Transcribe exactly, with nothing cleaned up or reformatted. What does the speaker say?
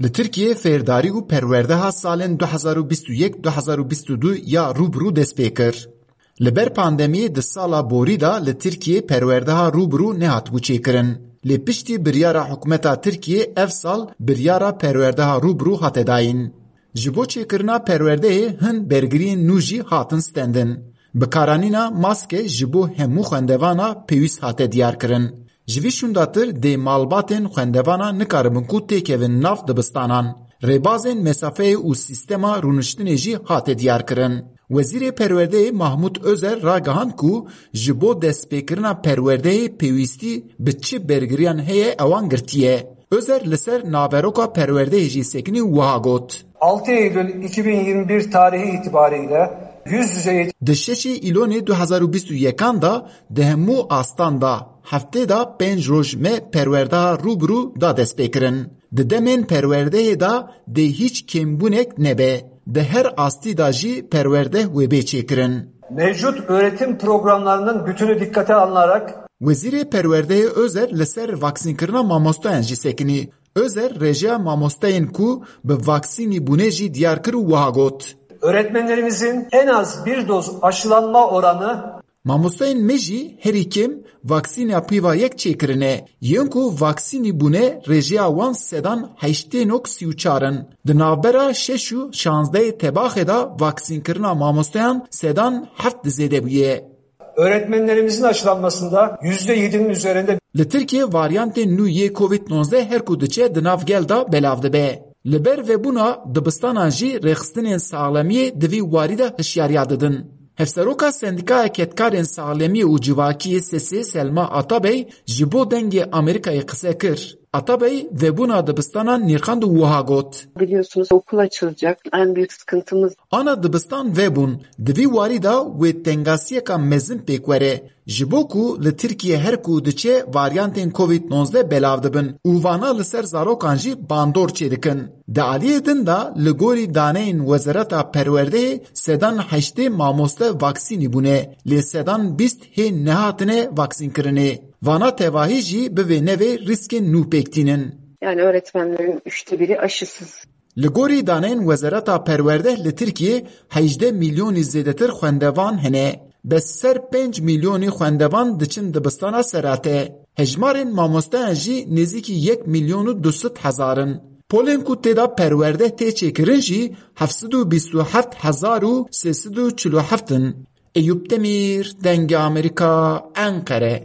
Li Tirkiyê fêrdarî û perwerdeha salên du hezar û bîst û yek du hezar û bîst û du ya rû bi rû dest pê kir. Li ber pandemiyê di sala borî de li Tirkiyê perwerdeha rû bi rû nehatibû çêkirin. Lê piştî biryara hikûmeta Tirkiyê ev sal biryara perwerdeha rû bi rû hate dayîn. Ji bo çêkirina perwerdeyê hin bergiriyên nû jî hatin stendin. Bikaranîna maske ji bo hemû xwendevana pêwîst hate diyarkirin. Ji vî şûndatir dê malbatên xwendevana nikaribin ku têkevin nav dibistanan. Rêbazên mesafeyê û sîstema rûniştinê jî hate diyarkirin. Wezîrê Perwerdeyê Mahmût Ozer ragihand ku ji bo destpêkirina perwerdeyê pêwîstî bi çi bergiriyan heye ewan girtiye. Ozer li ser naveroka perwerdeyê jî sekinî û wiha got. Altı Eylül iki bin yirmi bir tarihi itibariyle yüz yüze eğitim Di şeşê Îlonê du hezar û bîst û yekan de di hemû astan de heftê de pênc roj me perwerdeha rû bi rû da destpêkirin. Di demên perwerdeyê de dê hîç kêmbûnek nebe. Di her astî de jî perwerdeh wê bê çêkirin. Mevcut öğretim programlarının bütünü dikkate alınarak Wezîrê Perwerdeyê Ozer li ser vaksînkirina mamosteyan jî sekinî. Ozer rêjeya mamosteyên ku bi vaksînî bûne jî diyar kir û wiha got. Öğretmenlerimizin en az bir doz aşılanma oranı Mamosteyên me jî herî kêm vaksîna pîva yek çêkirine. Yên ku vaksînî bûne rêjeya wan sedan heştê nok sî û çar in. Di navbera şeş û şazdehê tebaxê de vaksînkirina mamosteyan sedan heft di zêde bûye. Öğretmenlerimizin aşılanmasında yüzde yedinin üzerinde Li Tirkiyê varyantên nû yê Covid nonzdeh her ku diçe di nav gel de belav dibe. Li ber vebûna dibistanan jî rêxistinên saxlemiyê di vî warî de hişyariya didin. Hevseroka Sendîkaya Kedkarên Saxlemiyê û Civakiyê SESê Selma Atabey ji bo Dengê Amerîkayê qise kir. Atabey vebûna dibistanan nirxand û wiha got. Biliyorsunuz okul açılacak. En büyük sıkıntımız Ana dibistan vebûn. Di vî warî de wê tengasiyeka mezin pêk were. Ji bo ku li Tirkiye her ku diçe varyantên Covid nonzdeh belav dibin û vana li ser zarokan jî bandor çêdikin. Di aliyê din de li gorî daneyên Wezareta Perwerdeyê sedan heştê mamoste vaksînî bûne, lê sedan bîst hê nehatine vaksînkirinê. Vana tevahî jî bi vê nevê rîskên nû pêk tînin. Yani öğretmenlerin üçte biri aşısız. Li gorî daneyên Wezareta Perwerdeh li Tirkiyê hejdeh milyonî zêdetir xwendevan hene. Bes ser pênc milyonî xwendevan diçin dibistana serate. Hejmarên mamosteyan jî nêzîkî yek milyon û du sed hezar in. Polên ku tê de perwerdeh tê çêkirin jî heft sed û bîst û heft hezar û sê sed û çil û heft in. Eyûp Demîr, Dengê Amerîka, Enqere.